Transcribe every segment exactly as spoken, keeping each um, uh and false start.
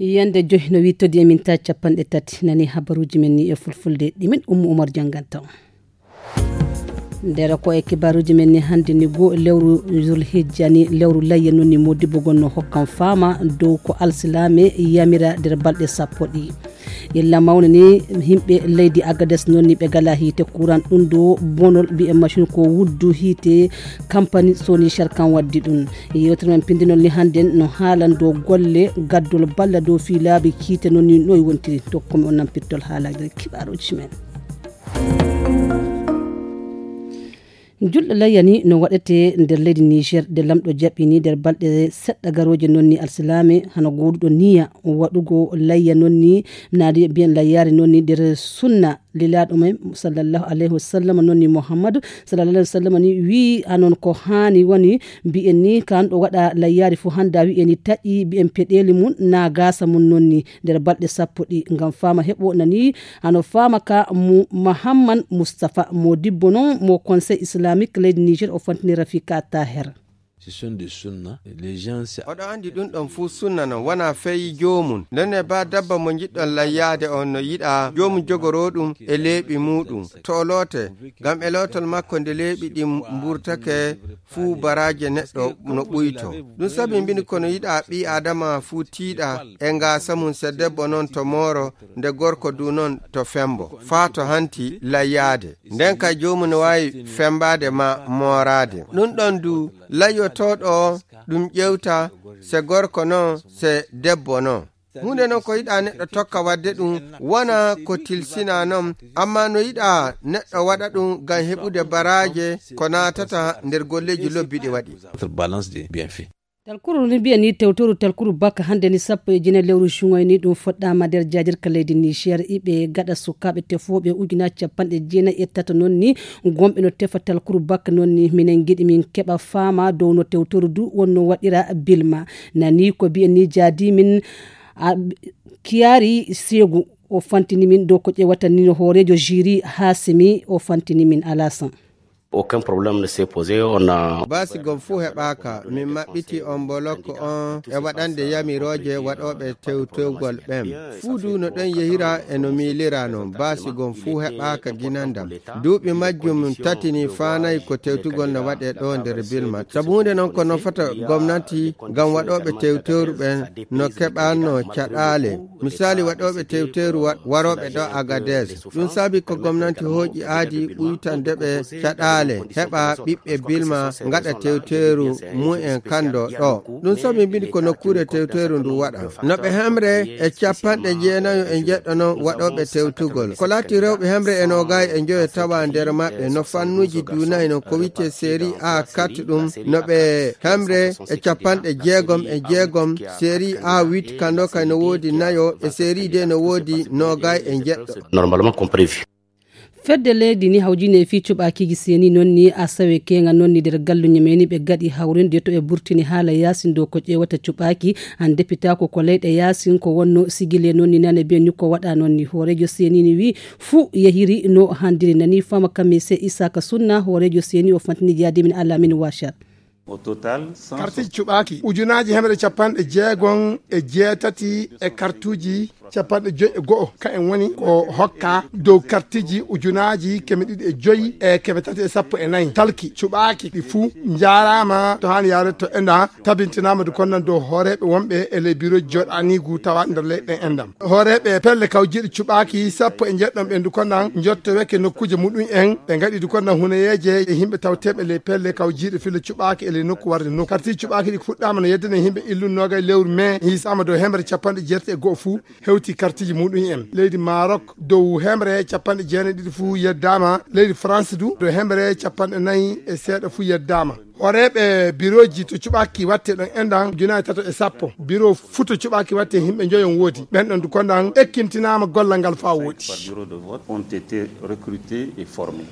Yande joyi no wittodi e min ta capanɗe tati. Nani habaruuji men ni e fulfulde, ɗi min Ummu Umar jannganta on. Nder ko e kibaaruuji men ni hannde ni, goo lewru Zulhijja ni, lewru layya non ni, Modibbo gon no hokkan faama dow ko alsilaame yamira nder balɗe sappo ɗi. Illa mawne ni, yimɓe leydi Agades non ni, ɓe gala hiite kuran, ɗum ɗo bonol mbi'en machine ko wuddu hiite, kampani Sony Sharkan waddi ɗum. Yewtere men pindinol ni hannde no haalan dow golle gaddol balla dow fii laabi kiite non ni, noy wontiri. Tokkomi on nan pittol haalaaji nder kibaaruuji men. Julɗo layya ni no waɗete nder leydi Niger, nde lamɗo jaɓi ni nder balɗe seɗɗa garooje non ni, alsilaame hano gooduɗo niya waɗugo layya non ni, naadi mbiyen layyaare non ni nder sunna lilaaɗo men sallallahu alayhi wa sallam non ni, Muhammadu sallallahu alayhi wa sallam ni wii anon ko haani woni mbiyen ni, ka an ɗo waɗa layyaari fuu hannda wi'e ni taƴi mbiyen peɗeeli mum na gaasa mum non ni nder balɗe sappo ɗi ngam faama heɓo nani. Hano faama ka mu Mahamman Mustafa, Modibbo non mo Conseil Islamique leydi Niger, o fantini Rafika Taher. Ce sont des sunna. Les gens se- Oɗo anndi ɗum ɗon fuu sunna non, wona fey joomum. Nden e ba dabba mo njiɗɗon layyaade on no yiɗa joomum jogoroo ɗum e leeɓi muuɗum. To o loote, ngam e lootol makko nde leeɓi ɗin mburtake fuu baraaje neɗɗo no ɓuyto. Ɗum sabi mbini kono yiɗa ɓii Aadama fuu tiiɗa e ngaasa mum, se debbo non to mooro, nde gorko du non to fembo, faa to hanti layyaade. Nden kay joomum no waawi fembaade ma mooraade. Ɗum ɗon du, layyotooɗo o, ɗum ƴewta se gorko non, se debbo non. Huunde non ko yiɗa neɗɗo tokka waɗde ɗum, wona ko tilsina non, amma no yiɗa neɗɗo waɗa ɗum ngam heɓude baraaje ko naatata nder golleeji lobbi ɗi waɗi. Balance des bienfaits. Talkuru ni mbiya ni tewtoru talkuru bakka hannde ni sappo e jeenayi lewru juŋay ni ɗum fuɗɗaama nder jaajirka leydi Niger. Iɓe gaɗa sukaaɓe tefooɓe ujunaaji capanɗe jeenayi e tato non ni, gomɓe no tefa talkuru bakka non ni. Minen ngiɗi min keɓa faama dow no tewtoru du wonno waɗira bilma. Nani ko mbiyen ni jaadi min a, Kiyaari Seegu, o fantini min dow ko ƴewata ni no hooreejo jiri Hasimi, o fantini min Alasan. Aucun problème ne s'est posé, on a Baasi gom fuu heɓaaka, min maɓɓiti on boloko on e waɗande yamirooje waɗooɓe tewtewgol ɓen. Fuu du no ɗon yehira e no miilira non, baasi gom fuu heɓaaka ginandam. Duuɓi majjum tati ni faanayi ko tewtugol no waɗee ɗo nder Bilma. Sabu huunde non ko nofata gomnati ngam waɗooɓe tewtewru ɓen no keɓanno caɗaale. Misaali waɗooɓe tewtewru wa-, warooɓe ɗo Agades. Ɗum saabi ko gomnanti hooƴi aadi ɓuytande ɓe caɗaale, heɓa ɓiɓɓe Bilma ngaɗa tewtewru mumen kan ɗo ɗo. Ɗum saabi mbini ko nokkuure tewtewru ndu waɗa. No ɓe hemre e capanɗe jeenayo e njeɗɗo non waɗooɓe tewtugol. Ko laati rewɓe hemre e noogay e njoyo tawa nder maɓɓe no fannuuji duunayi non ko wi'etee Série A quatre ɗum no ɓe hemre e capanɗe jeegom e jeegom, Série A huit kando kay no woodi nayo, e Série D no woodi noogay e njeɗɗo. Normalement comme prévu. Fedde leydi ni hawjine e fii cuɓaakiiji seeni non ni asawe keeŋa non ni nder galluñe men ni ɓe gaɗi hawrinde to ɓe burtini haala yaasin dow ko ƴeewata cuɓaaki. An depitaako ko leyɗe yaasin ko wonno sigile non ni nane be ni ko waɗa non ni hooreejo seeni ni wi fuu yehiri no handiri nani fama kamise Isaka Sunna hooreejo seeni o fantini jaadi min Alamin Washar. Au total, cent Kartiji cuɓaaki ujunaaji hemre capanɗe jeegom e jeetati e kartuji capanɗe joyi e go'o. Ka en woni ko hokka dow kartiji ujunaaji keme ɗiɗi e joyi e keme tati e sappo e nayi. Talki cuɓaaki ɗi fuu njaaraama to haani yaade to enda tabintinaama du konnan dow hooreeɓe wonɓe e ley biroji jooɗaaniigu tawa nder leyɗe endam. Hooreeɓe pelle kawjiiɗe cuɓaaki sappo e njeɗɗon ɓen du konnan njottoweke nokkuuje muɗum en ɓe ngaɗi du konnan hunayeeje e yimɓe tawteeɓe ley pelle kawjiiɗe filla cuɓaaki e ley nokku warde nokku. Kartiji cuɓaaki ɗi fuɗɗaama no yeddana yimɓe illun noogay lewru mai hiisaama dow hemre capanɗe jeetati e go'o fuu hewti kartiji muɗum en. Leydi Maroc dow hemre capanɗe jeenayi ɗiɗi fuu yeddaama. Leydi France du dow hemre capanɗe nayi e seeɗa fuu yeddaama. Hooreeɓe birooji to cuɓaaki watte ɗon endan junaaji tato e sappo. Biro fuu to cuɓaaki watte yimɓe njoyon woodi. Ɓen ɗon du kondan ekkintinaama gollal ngal faa woodi. Par bureau de vote ont été recrutés et formés.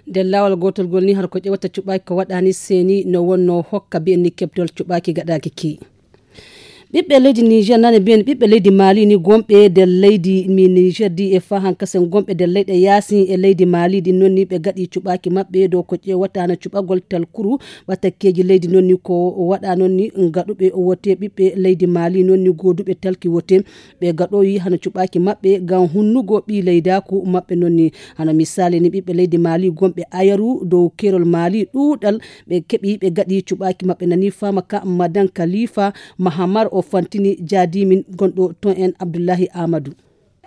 Nder laawol gootol ngol ni, hara ko ƴewata cuɓaaki ko waɗaani seeni no wonno hokka mbiyen ni keɓtol cuɓaaki gaɗaaki ki. Ɓiɓɓe leydi Niger nane mbiyen ɓiɓɓe leydi Mali ni gonɓe nder leydi mi Niger di e fahan kasen gonɓe nder leyɗe yaasi e leydi Mali ɗin noon ni ɓe gaɗi cuɓaaki maɓɓe dow ko ƴeewata hano cuɓagol talkuru ɓatakkeeji leydi noon ni ko waɗa noon ni gaɗuɓe wote ɓiɓɓe leydi Mali noon ni gooduɓe talki wote ɓe gaɗoyi hano cuɓaaki maɓɓe ngam hunnugo ɓii leydaaku maɓɓe noon ni hano misaali ni ɓiɓɓe leydi Mali gonɓe ayaru dow keerol Mali ɗuuɗal ɓe keɓi ɓe gaɗi cuɓaaki maɓɓe nani faama ka madan kalifa mahamar o fantini jaadimin gonɗo ton en abdullahi amadou.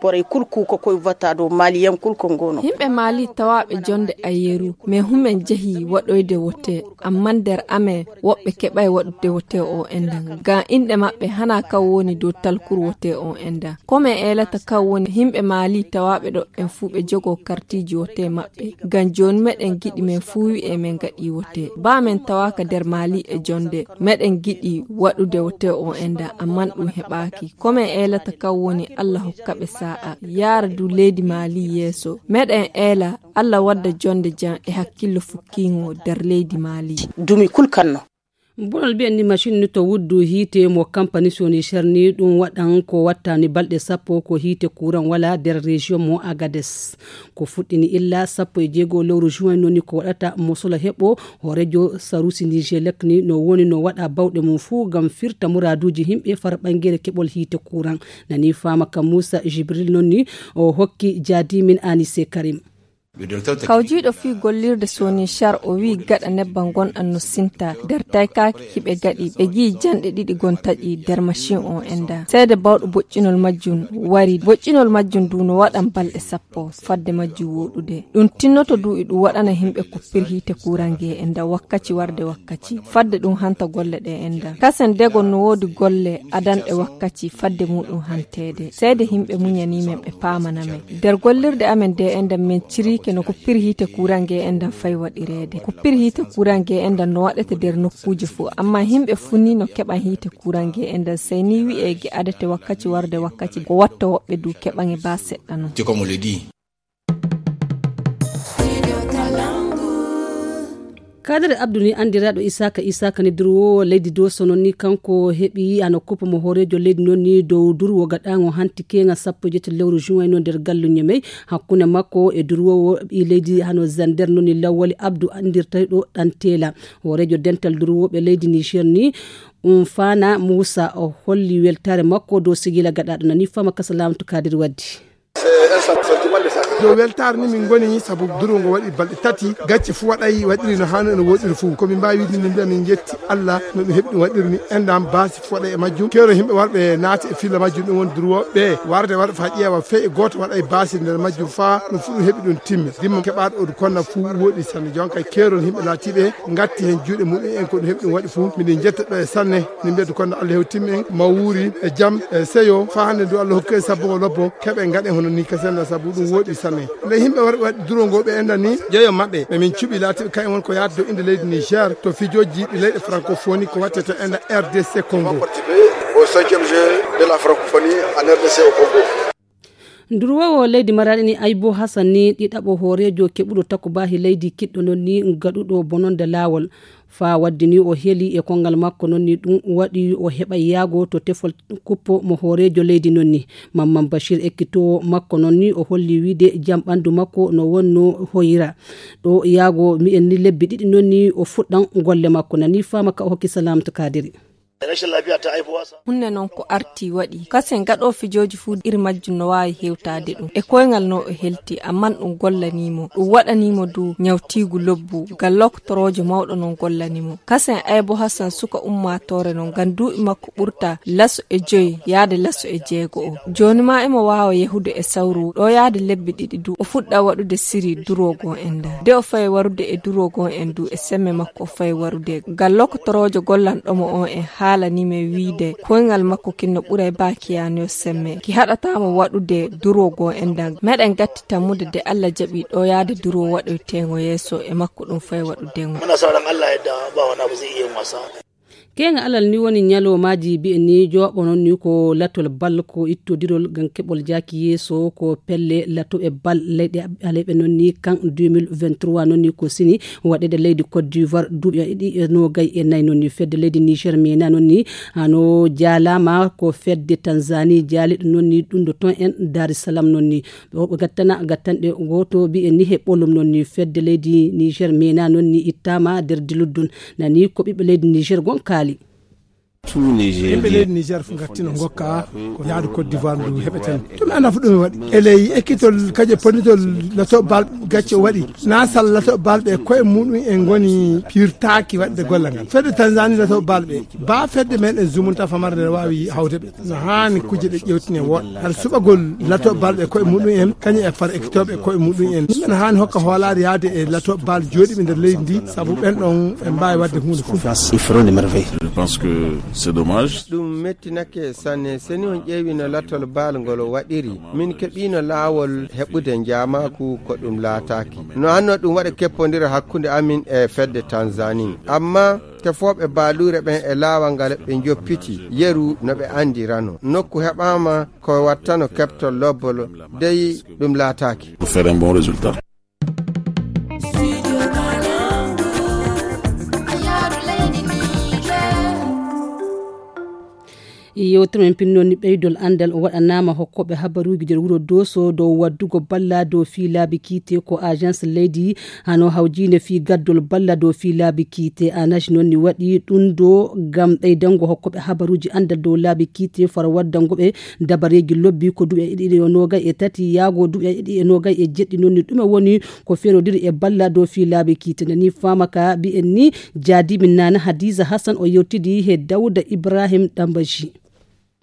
Borey kul kuuko koy vota dow maliyen kul ko ngono. Himɓe mali tawaaɓe jonde ayeru mais humen jehi waɗoyde wote amma nder amen woɓɓe keɓay waɗude wote o enda ngam inɗe maɓɓe hana kan woni dow talkur wote o enda. Komen eelata kan woni himɓe mali tawaaɓe ɗo en fuu ɓe jogo kartiji wote maɓɓe ngam jooni meɗen giɗi men fuu wi'e men gaɗi wote ba men tawaaka nder mali e jonde meɗen giɗi waɗude wote o enda amman ɗum heɓaaki. Komen eelata kan woni allah hokka ɓe sa'a yaara du leydi mali yeeso meɗen eela allah wadda jonde jam e hakkillo fukkiingo nder leydi mali. Dumi kul kanno. Bonol mbiyen ni machine ni to wuddu hiite mo kampani soni cherni ɗum waɗan ko wattani balɗe sappo ko hiite kuran wala nder région mo agades ko fuɗɗini illa sappo e jeego lewru juin noni ko waɗata mosolo heɓo hoorejo sarusi nigelec ni no woni no waɗa bawɗe mum fuu ngam firta muraduuji yimɓe fara ɓangere keɓol hiite kuran. Nani faama ka muusa jibril nonni o hokki jaadimin anise karim. Kawjiiɗo fii gollirde soni char o wii gaɗa nebbam gonɗam no sinta nder taykaaki hiɓe gaɗi ɓe gii janɗe ɗiɗi gon taƴi nder machin on enda seede bawɗo boƴƴinol majjum wari boƴƴinol majjum du no waɗan balɗe sappo fadde majjum woɗude. Ɗum tinnoto du iɗum waɗana himɓe kuppir hiite kurange enda wakkaci warde wakkaci fadde ɗum hanta golle ɗe enda kasen dego no woodi golle adanɗe wakkaci fadde muɗum hanteede seede himɓe muñani men ɓe paamana men. Nder gollirde amen de enda min cirike no kuppir hiite kurange enda fay waɗireede kuppir hiite kurange enda no waɗete nder nokkuuje fuu amma himɓe fuu ni no keɓan hiite kurange enda sey ni wi'e gi adete wakkaci warde wakkaci ko watta woɓɓe du keɓan e ba seɗɗa non. Kadere abdu ni andiraaɗo isaka isaka ni durwoowo leydi doso non ni kanko heɓi hano kuppa mo hoorejo leydi non ni dow durwo gaɗaango hanti keŋa sappo e jetti lewru juin non nder gallu ñemey hakkunde makko e durwoowo ɓi leydi hano zander non ni lawwali abdu andirtayɗo ɗan tela hoorejo dental durwooɓe leydi niger ni. Um fana moussa o holli weltare makko dow sigila gaɗaɗo nani fama kasa lamto kadiri waddi. Yo weltaare ni min ngoni sabu duru ngo waɗi balɗe tati gacce fu waɗay waɗiri no hano ene woɗiri fu ko min mbawi wiide ni mbiya min jetti allah no ɗum heɓi ɗum waɗiri ni endam basi fu waɗay e majjum kero yimɓe warɓe naati e filla majjum ɗum woni durwoɓe warde waɗa fa ƴeewa fey e goto waɗay basi nder majjum fa ɗum fu ɗum heɓi ɗum timmi dimma keɓaɗo odu konna fu woɗi sanne jonka kerol yimɓe laatiɓe gatti hen juuɗe muɗum en ko ɗum heɓi ɗum waɗi fu miɗen jetta ɓe sanne. Min mbiyata kono allah hewtimmi en ma wuuri e jam e seyo fa hannde ndu allah hokki en sabbo o lobbo keɓe ngaɗen hono ni kasenna sabu ɗum woɗi sanne. Nde yimɓe warɓe waɗi duro ngo ɓe enɗan ni jeeyo maɓɓe ɓe min cuɓi laatiɓe kayen woni ko yaata dow innde leydi niger to fijooji ɗi leyɗe francophonie ko watte to enɗan rdc congo. Au cinquième jeu de la francophonie en rdc au congo. Nduruwoowo leydi maraɗi ni aybo hasan ni ɗiɗaɓo hooreejo keɓuɗo takubahi leydi kiɗɗo non ni gaɗuɗo bononde laawol. Faa waddi ni o heli e kongal makko non ni ɗum waɗi o heɓa yaago to tefol kuppo mo hooreejo leydi non ni. Mamman bashir ekkitoowo makko non ni o holli wiide jam ɓanndu makko no wonno hoyira. Ɗo yaago mi'en ni lebbi ɗiɗi non ni o fuɗɗan golle makko nani faama ka o hokki salamatu kadiri. Hunde noon ko arti waɗi kasen gaɗo fijooji fuu iri majjum no waawi hewtaade ɗum e koyngal no o helti amman ɗum gollanimo ɗum waɗanimo du ñawtiigu lobbu ngal loktoroojo mawɗo noon gollanimo kasen aybo hasan suka ummaatoore noon ngam duuɓi makko ɓurta laso e joyi yaade laso e jeego o jooni ma imo waawa yahude e sawru ɗo yaade lebbi ɗiɗi du o fuɗɗa waɗude siri duroogo en nda nde o fayi warude e duroogo en du e semme makko o fayi warude ngal loktoroojo gollanɗomo on en haalani men wiide koyngal makko kin no ɓuray ba kiyanoyo semme ki haɗatamo waɗude duroogo en nda meɗen gatti tammude de allah jaɓi ɗo yaade duroo waɗoytengo yeeso e makko ɗum fayi waɗude ngo. Muna sa ran allah yadda ba wani abu zai iya yin wasa. Keeŋa alal ni woni ñaloomaaji mbiyen ni jooɓo noon ni ko latol bal ko ittodirol ngam keɓol jaaki yeeso ko pelle latoɓe bal leyɗe aleyɓe noon ni kan deux mille vingt-trois noon ni ko sini waɗeede leydi Côte d'Ivoire duuɓi ɗiɗi e noogay e nayi noon ni fedde leydi Niger mena noon ni hano jaalaama ko fedde Tanzanie jaaliɗo noon ni ɗum ɗo toon en Dar es Salaam noon ni. Ɓe gattana gattanɗe gooto mbiyen ni he ɓolum noon ni fedde leydi Niger mena noon ni ittaama nder diluddun nani ko ɓiɓɓe leydi Niger gon kaali. Yimɓe leydi Niger fof ngartino ngokka ko yaadu Côte d'Ivoire ndu heɓeten. Ɗum anda fof ɗum waɗi eley ekkitol kaje ponnitol lato bal gacce o waɗi nasal lato balɓe koye muɗum en ngoni pirtaaki waɗde golle ngal fedde Tanzanie lato balɓe ba fedde men e zumunta famare nde waawi hawde ɓe. No haani kujje ɗe ƴewtine woɗɗa hara suɓagol lato balɓe koye muɗum en kañum e far ekkitooɓe koye muɗum en. Ɗum en haani hokka hoolaare yahde e lato bal jooɗiiɓe nder leydi ndi sabu ɓen ɗon en mbaawi waɗde huunde fof. Je pense que c'est dommage. Ɗum mettinake sanne seni on ƴeewi no latol baal ngol waɗiri. Min keɓiino laawol heɓude njaamaaku ko ɗum laataaki no hanno ɗum waɗa keppondira hakkunde amin e fedde Tanzanie. Amma tefooɓe baaluure ɓen e laawal ngal ɓe njoppiti yeru no ɓe anndirano. Nokku heɓaama ko wattano keɓtol lobbol dey ɗum laataaki. Pour faire un bon résultat. Yewtere men pinnoon ni ɓeydol anndal o waɗanaama hokkooɓe habaruuji nder wuro Dooso dow waɗdugo balla dow fii laabi kiite ko agence leydi hano hawjiinde fii gaddol balla dow fii laabi kiite. Anaj noon ni waɗi ɗum do ngam ɓeydango hokkooɓe habaruuji anndal dow laabi kiite faro waddango ɓe dabareeji lobbi ko duuɓi e ɗiɗi e noogay e tati yaago duuɓi e ɗiɗi e noogay e jeɗɗi noon ni ɗume woni ko ferodiri e balla dow fii laabi kiite nani faama ka mbiyen ni jaadimin nana Hadiza Hassan o yewtidi he Dawda Ibrahim Ɗambaji.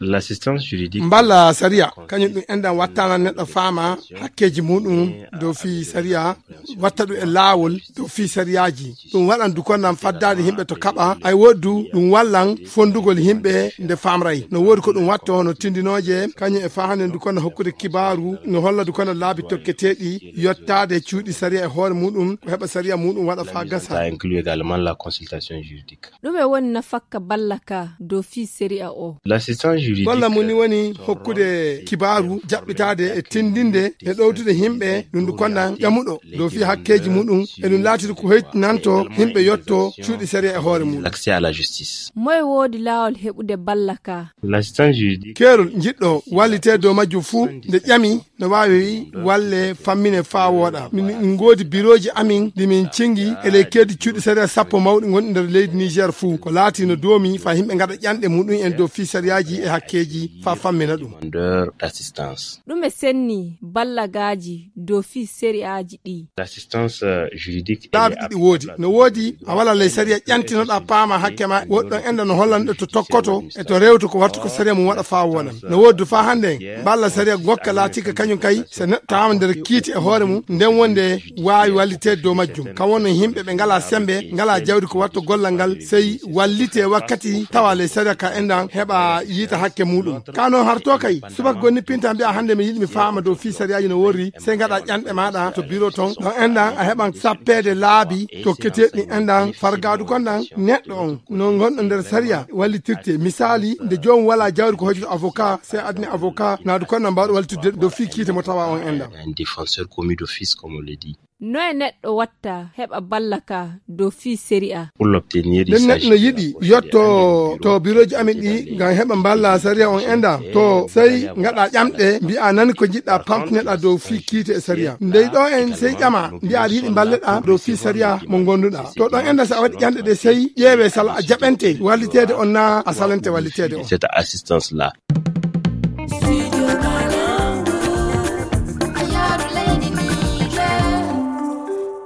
L'assistance juridique mballa sariya kañum ɗum enɗan wattana neɗɗo faama hakkeeji muɗum dow fii sariya watta ɗum e laawol dow fii sariyaaji. Ɗum waɗan dukonnan faddaade yimɓe to kaɓa ay woɗdu ɗum wallan fonndugol yimɓe nde faamray no woodi ko ɗum watta hono tindinooje kañum e fahande dukonna hokkude kibaaru no holla dukonna laabi tokketeeɗi yottaade cuuɗi sariya e hoore muɗum ko heɓa sariya muɗum waɗa faa gasa. Ça inclut également la consultation juridique. Ɗume woni nafakka balla ka dow fii sariya o? L'assistance juridique balla mum ni woni hokkude kibaaru jaɓɓitaade e tindinde e ɗowtude yimɓe ɗum ndu konnan ƴamuɗo dow fii hakkeeji muɗum e ɗum laatiri ko hoytinanto yimɓe yotto cuuɗi sariya e hoore mum. L'accès à la justice. Moye woodi laawol heɓude balla ka? L'assistance juridique keerol jiɗɗo wallite dow majjum fuu nde ƴami no waawi walle fammine faa wooɗa. Min min ngoodi birooji amin ɗi min cingi e ley keedi cuuɗi sariya sappo mawɗi ngonɗi nder leydi Niger fuu ko laati no doomi faa yimɓe ngaɗa ƴanɗe muɗum en dow fii sariyaaji e hakkeeji faa fammina ɗum. Demandeur d'assistance. Ɗume senni ballagaaji dow fii sariyaaji ɗi? L'assistance euh, juridique laabi ɗiɗi woodi no woodi a wala ley sariya ƴantinoɗa paama hakke ma woɗɗon enda no hollanɗo to tokkoto e to rewto ko wattu ko sariya mum waɗa faa wooɗan no woodi du faa hannde en balla sariya gokka laatika kañum kay so neɗɗo taama nder kiiti e hoore mum nden wonde waawi walliteede dow majjum kam wonno yimɓe ɓe ngalaa semmbe ngalaa jawdi ko watta gollal ngal sey wallite wakkati tawa ley sariya ka endan heɓa yiita hakke muɗum ka noon harto kay subaka gonni pinta mbiya hannde mi yiɗi mi faama dow fii sariyaaji no worri sey ngaɗa ƴanɗe maaɗa to biro ton ɗon endan a heɓan sappeede laabi tokketeeɗi endan fargaadu kondan neɗɗo on no ngonɗo nder sariya wallitirte misaali nde joomum wala jawdi ko hoytoto avocat sey adni avocat naadu kondan mbawɗo wallitirde dow fii kiite mo tawa on endan. Un défenseur commis d'office comme on le dit. Noye neɗɗo watta heɓa balla ka dow fii sariya? Pour l'obtenir nden neɗɗo no yiɗi yotto to birooji amin ɗi ngam heɓa mballa sariya on enda to sey ngaɗa ƴamɗe mbiya nani ko jiɗɗa pamtineɗa dow fii kiite e sariya ndey ɗo en sey ƴama mbiya aɗa yiɗi mballeɗa dow fii sariya mo gonduɗa to ɗon enda so a waɗi ƴamɗe ɗe sey ƴeewe sala a jaɓante walliteede on na a salante walliteede on. Cette assistance là.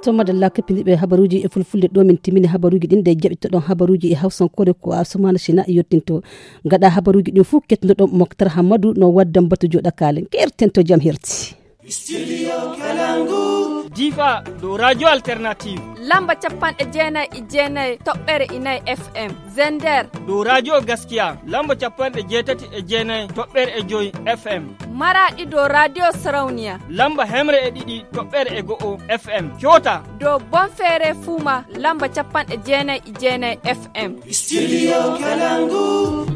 To madalla keppiniɓe habaruuji e fulfulde ɗo min timmini habaruuji ɗin nde jaɓitoɗon habaruuji e hawsankoore ko asumana sina yettinto gaɗa habaruuji ɗin fof ketnoɗon moktar hammadu no waddan batu joɗa kalen kerten to jam herti. Difa dow Radio Alternative. Lamba capanɗe jeenayi e jeenayi toɓɓere inayi F M. Zender. Dow Radio Gaskiya. Lamba capanɗe jeetati e jeenayi toɓɓere e joyi F M. Maraɗi dow Radio Sarauniya. Lamba hemre e ɗiɗi toɓɓere e go'o F M. Kyota. Dow Bonfere Fuma lamba capanɗe jeenayi e jeenayi F M. Studio Kalangu.